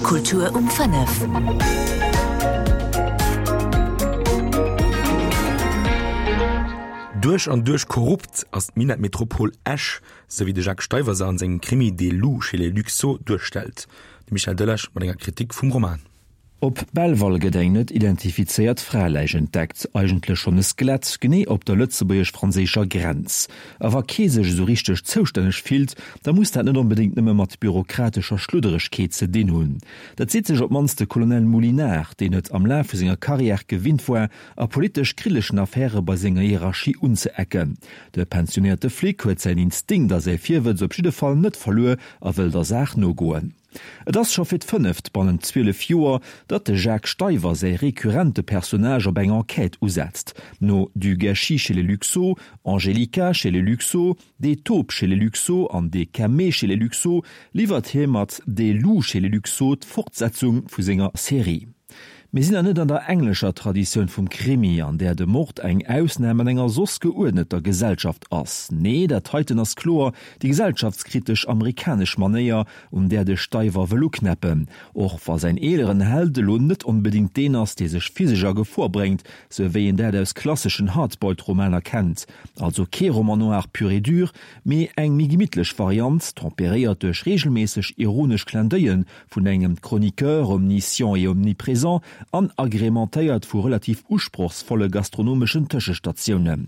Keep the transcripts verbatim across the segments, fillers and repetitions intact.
Kultur um fënnef. Duerch an duerch korrupt ass d'Minettmetropol Esch, sou wéi de Jacques Steiwer se an sengem Krimi Des loups chez les Luxo duerstellt. De Michel Delage mat enger Kritik vum Roman. Op Belval gëtt eng net identifizéiert Fraeläich entdeckt, eigentlech schonn e Skelett, genee op der lëtzebuergesch-franséischer Grenz. A wa kee sech esou richteg zoustänneg fillt, da muss dat net onbedéngt nëmme mat bürokratescher Schludderegkeet ze dinn hunn. Dat seet sech op d'mannst de Colonel Moulinard, deen et am Laf vu senger Karriär gewinnt war, a politesch kriddlechen Affäre bei senger Hierarchie unzeecken. De pensionéierte Flic huet säin Instinkt a säi Virwëtz op jidde Fall net verluer a wëll der Saach nogoen. Et ass scho fir d'fënneft bannent zwielef Joer, datt de Jacques Steiwer säi rekurrente Personnage op eng Enquête usetzt. No Du gâchis chez les Luxo, Angelica chez les Luxo, Des taupes chez les Luxo an Des camées chez les Luxo liwwert hie mat Des loups chez les Luxo d'Fortsetzung vu senger Serie. Mir sinn nach net an der englescher Traditioun vum Krimi, an där de Mord eng Ausnam an enger soss geuerdneter Gesellschaft ass. Nee, dat heiten ass kloer déi gesellschaftskritesch amerikanesch Manéier, un där de Steiwer wëll uknäppen, och wa säin eeleren Held elo net onbedéngt deen ass, dee sech physesch a Gefor bréngt, sou wéi een dat aus klasseschen Hardboiled-Romaner kennt. Also kee Roman noir pur et dur, mee eng méi gemittlech Variant, temperéiert duerch reegelméisseg ironesch Clin-d'oeil'en vun engem Chroniqueur omniscient et omniprésent an agrementéiert vu relativ usprochsvolle gastronomeschen Tëschestatiounen.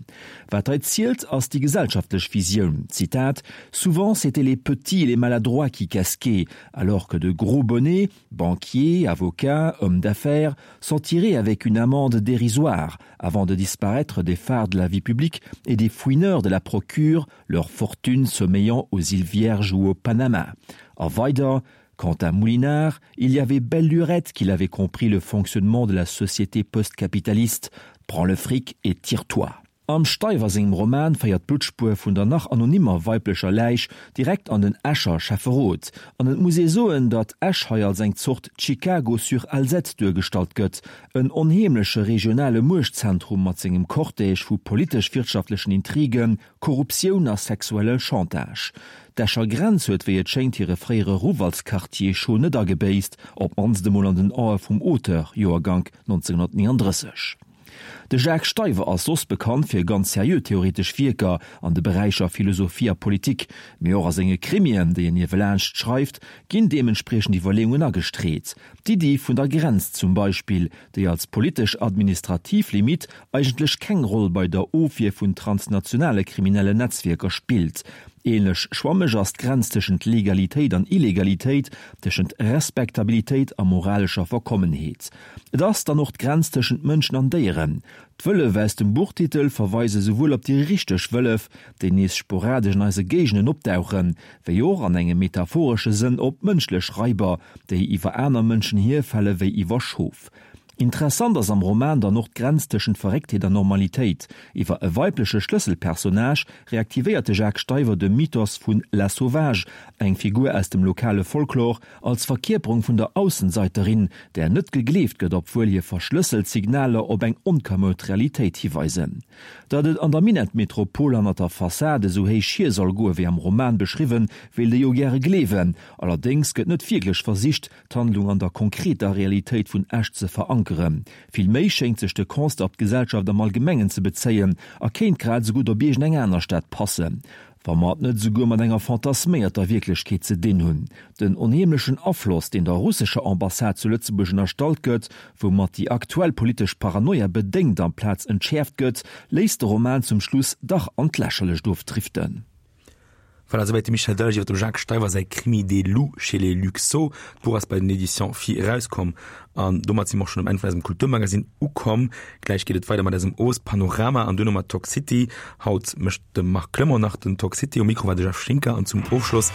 Wat hei zielt, ass déi gesellschaftlech Visioun. Zitat, Souvent c'étaient les petits et les maladroits qui casquaient, alors que de gros bonnets, banquiers, avocats, hommes d'affaires, s'en tiraient avec une amende dérisoire, avant de disparaître des phares de la vie publique et des fouineurs de la procure, leur fortune sommeillant aux îles Vierges ou au Panama. A weider, Quant à Moulinard, il y avait belle lurette qu'il avait compris le fonctionnement de la société postcapitaliste. Prends le fric et tire-toi. Am Steiwer sengem Roman féiert d'Bluttspuer vun der nach anonymer weiblecher Läich direkt an den Escher Schäfferot. An et muss ee soen, datt Esch hei als eng Zort Chicago sur Alzette duergestallt gëtt, en onheemleche regionale Muechtzentrum mat sengem Cortège vu politesch-wirtschaftlechen Intrigen, Korruptioun a sexuelle Chantage. D'Escher Grenz huet wéi et schéngt hire fréiere Ruff als Quartier chaud net agebéisst, op d'mannst emol an den Ae vum Auteur, Joergank nonzénghunnertnéngandrësseg. De Jacques Steiwer ass soss bekannt fir ganz seriö theoretesch Wierker an de Beräicher Philosophie a Politik, mee och a senge Krimien, déi en niewelaanscht schreift, ginn deementspriechend Iwwerleeungen agestreet. D'Iddi vun der Grenz zum Beispill, déi als politesch-administrativ Limitt eigentlech keng Roll bei der Ofwier vun transnationale kriminellen Netzwierker spillt. Ähnlech schwammeg ass d'Grenz tëschent Legalitéit an Illegalitéit, tëschent Respektabilitéit a moralescher Verkommenheet. Et ass dann och d'Grenz tëschent Mënschen an Déieren. D'Wëllef aus dem Buchtitel verweise souwuel op déi richteg Wëllef, déi nees sporadesch an eise Géigenden opdauchen, wéi och an engem metaphoresche Sënn op mënschlech Raiber, déi iwwer aner Mënschen hierfale wéi iwwer Schof. Interessant ass am Roman dann och d'Grenz tëschent Verrécktheet an Normalitéit. Iwwer e weibleche Schlësselpersonnage reaktivéiert de Jacques Steiwer de Mythos vun La Sauvage, eng Figur aus dem lokale Folklor, als Verkierperung vun der Aussenseiterin, där net gegleeft gëtt, obwuel hir verschlësselt Signaler op eng onkamoud Realitéit hiweisen. Datt et an der Minettmetropol hannert der Fassad esou héich hier soll goe wéi am Roman beschriwwen, wéilt ee jo gäre gleewen. Allerdéngs gëtt net wierklech versicht, d'Handlung an der konkreter Realitéit vun Esch ze verankeren. Vill méi schéngt sech de Constat op d'Gesellschaft am Allgemengen ze bezéien a kéint grad esou gutt op iergend eng aner Stad passen, wa mer et net esouguer mat enger fantasméierter Wierklechkeet ze dinn hunn. Den onheemlechen Afloss, deen der russescher Ambassade zu Lëtzebuerg ënnerstallt gëtt, woumat déi aktuell politesch Paranoia bedéngt amplaz entschäerft gëtt, léisst de Roman zum Schluss dach an d'Lächerlecht ofdriften. Voilà, souwäit de Michel Delage iwwer dem Jacques Steiwer säi Krimi Des loups chez les Luxo. D'Buch ass bei den Editions Phi erauskomm. An domat si mer och schonn um Enn vun eisem Kulturmagazin ukomm. Gläich geet et weider mat eisem Owespanorama an duerno mat Talk City. Haut mécht de Marc Clement nach den Talk City. Um Mikro war de Jeff Schinker an zum Ofschloss